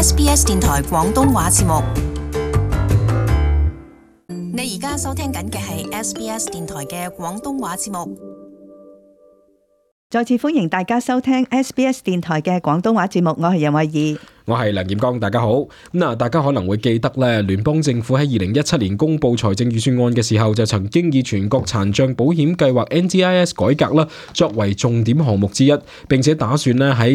SBS 電台廣東話節目。你而家收聽緊嘅係 SBS 電台嘅廣東話節目。再次歡迎大家收聽 SBS 電台嘅廣東話節目，我係任慧儀。我係梁炎光，大家好。大家可能會記得咧，聯邦政府喺2017年公布財政預算案嘅時候，就曾經以全國殘障保險計劃 NDIS 改革啦，作為重點項目之一，並且打算咧喺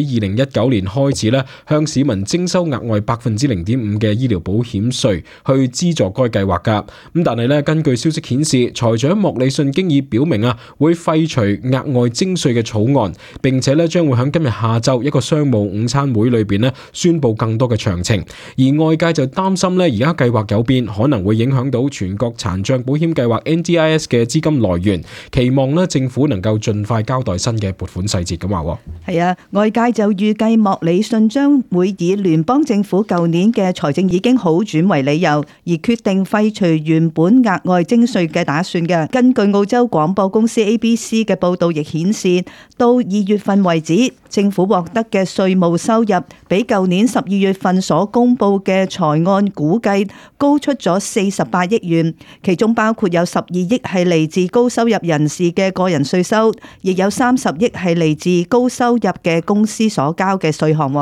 2019年開始咧，向市民徵收額外0.5%嘅醫療保險稅，去資助該計劃噶。但係咧，根據消息顯示，財長莫里遜經已表明啊，會廢除額外徵稅嘅草案，並且咧將會喺今日下晝一個商務午餐會裏邊咧宣布更多嘅詳情，而外界就擔心咧，而家計劃有變，可能會影響到全國殘障保險計劃 NDIS 嘅資金來源，期望咧政府能夠盡快交代新嘅撥款細節咁話。係啊，外界就預計莫里遜將會以聯邦政府舊年嘅財政已經好轉為理由，而決定廢除原本額外徵稅嘅打算嘅。根據澳洲廣播公司 ABC 嘅報道亦顯示，到2月份為止，政府獲得嘅稅務收入比舊年12月份所公布嘅財案估計高出咗48億元，其中包括有12億係嚟自高收入人士嘅個人稅收，亦有30億係嚟自高收入嘅公司所交嘅稅項。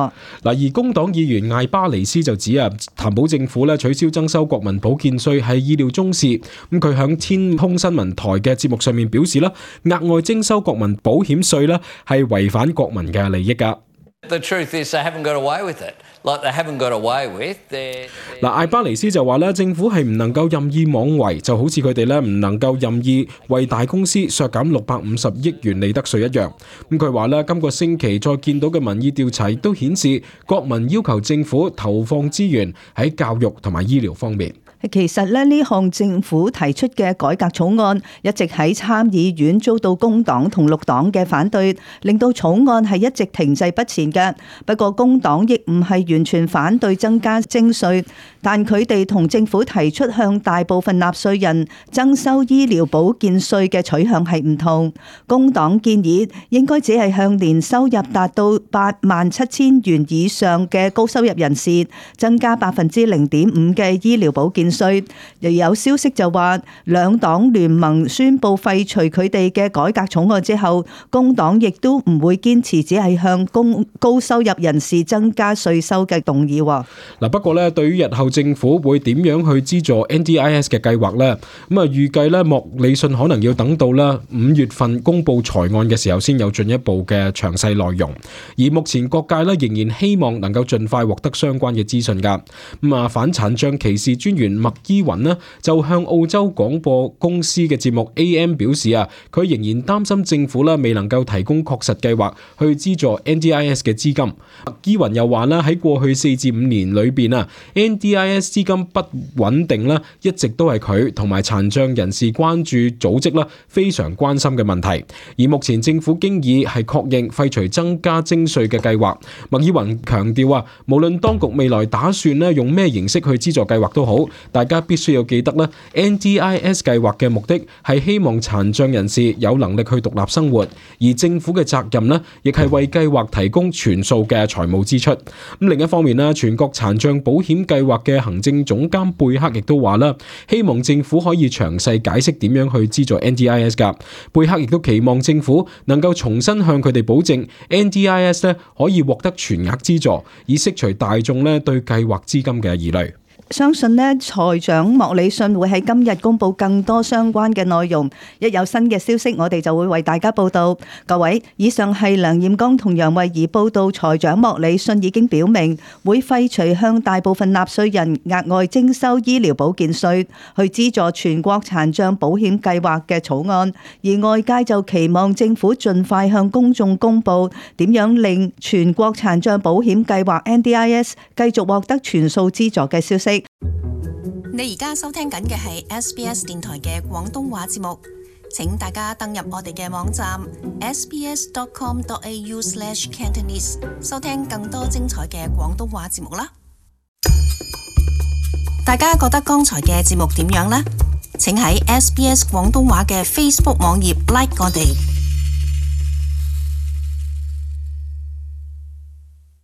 而工黨議員艾巴尼斯就指啊，談保政府咧取消徵收國民保健稅係意料中事。咁佢響天空新聞台嘅節目上面表示啦，額外徵收國民保險稅咧係違反國民嘅利益噶。The truth is they haven't got away with it. Like they haven't got away with. 艾巴尼斯就話咧，政府係唔能夠任意妄為，就好似佢哋咧唔能夠任意為大公司削減650億元利得稅一樣。咁佢話咧，今個星期再見到嘅民意調查亦都顯示，國民要求政府投放資源喺教育同埋醫療方面。其實咧，呢項政府提出嘅改革草案一直喺參議院遭到工黨同綠黨嘅反對，令到草案係一直停滯不前嘅。不過工黨亦唔係完全反對增加徵稅，但佢哋同政府提出向大部分納稅人徵收醫療保健稅嘅取向係唔同。工黨建議應該只係向年收入達到87000元以上嘅高收入人士增加0.5%嘅醫療保健稅。又有消息就話，兩黨聯盟宣布廢除佢哋嘅改革草案之後，工黨亦都唔會堅持只係向高收入人士增加稅收嘅動議。不過咧，對於日後政府會點樣去資助 NDIS 嘅計劃咧，預計咧莫里遜可能要等到咧5月份公布財案嘅時候，先有進一步嘅詳細內容。而目前各界咧仍然希望能夠盡快獲得相關嘅資訊噶。反殘障歧視專員麥伊雲呢就向澳洲廣播公司嘅節目 AM 表示啊，佢仍然擔心政府咧未能夠提供確實計劃去資助 NDIS 嘅資金。麥伊雲又話咧，喺過去4至5年裏邊啊 ，NDIS 資金不穩定咧，一直都係佢同埋殘障人士關注組織啦非常關心嘅問題。而目前政府經已係確認廢除增加徵稅嘅計劃。麥伊雲強調啊，無論當局未來打算咧用咩形式去資助計劃都好，大家必須要記得咧 ，NDIS 計劃嘅目的係希望殘障人士有能力去獨立生活，而政府嘅責任呢，亦係為計劃提供全數嘅財務支出。咁另一方面呢，全國殘障保險計劃嘅行政總監貝克亦都話啦，希望政府可以詳細解釋點樣去資助 NDIS 噶。貝克亦都期望政府能夠重新向佢哋保證 NDIS 咧可以獲得全額資助，以釋除大眾咧對計劃資金嘅疑慮。相信呢，財長莫里遜會喺今日公布更多相關嘅內容。一有新嘅消息，我哋就會為大家報道。各位，以上係梁艷剛同楊慧儀報道，財長莫里遜已經表明會廢除向大部分納稅人額外徵收醫療保健稅，去資助全國殘障保險計劃嘅草案。而外界就期望政府盡快向公眾公布點樣令全國殘障保險計劃 NDIS 繼續獲得全數資助嘅消息。你而家收聽緊嘅係 SBS 電台嘅廣東話節目，請大家登入我哋嘅網站 sbs.com.au/cantonese 收聽更多精彩嘅廣東話節目啦。大家覺得剛才嘅節目點樣呢？請喺 SBS 廣東話嘅 Facebook 網頁 like 我哋。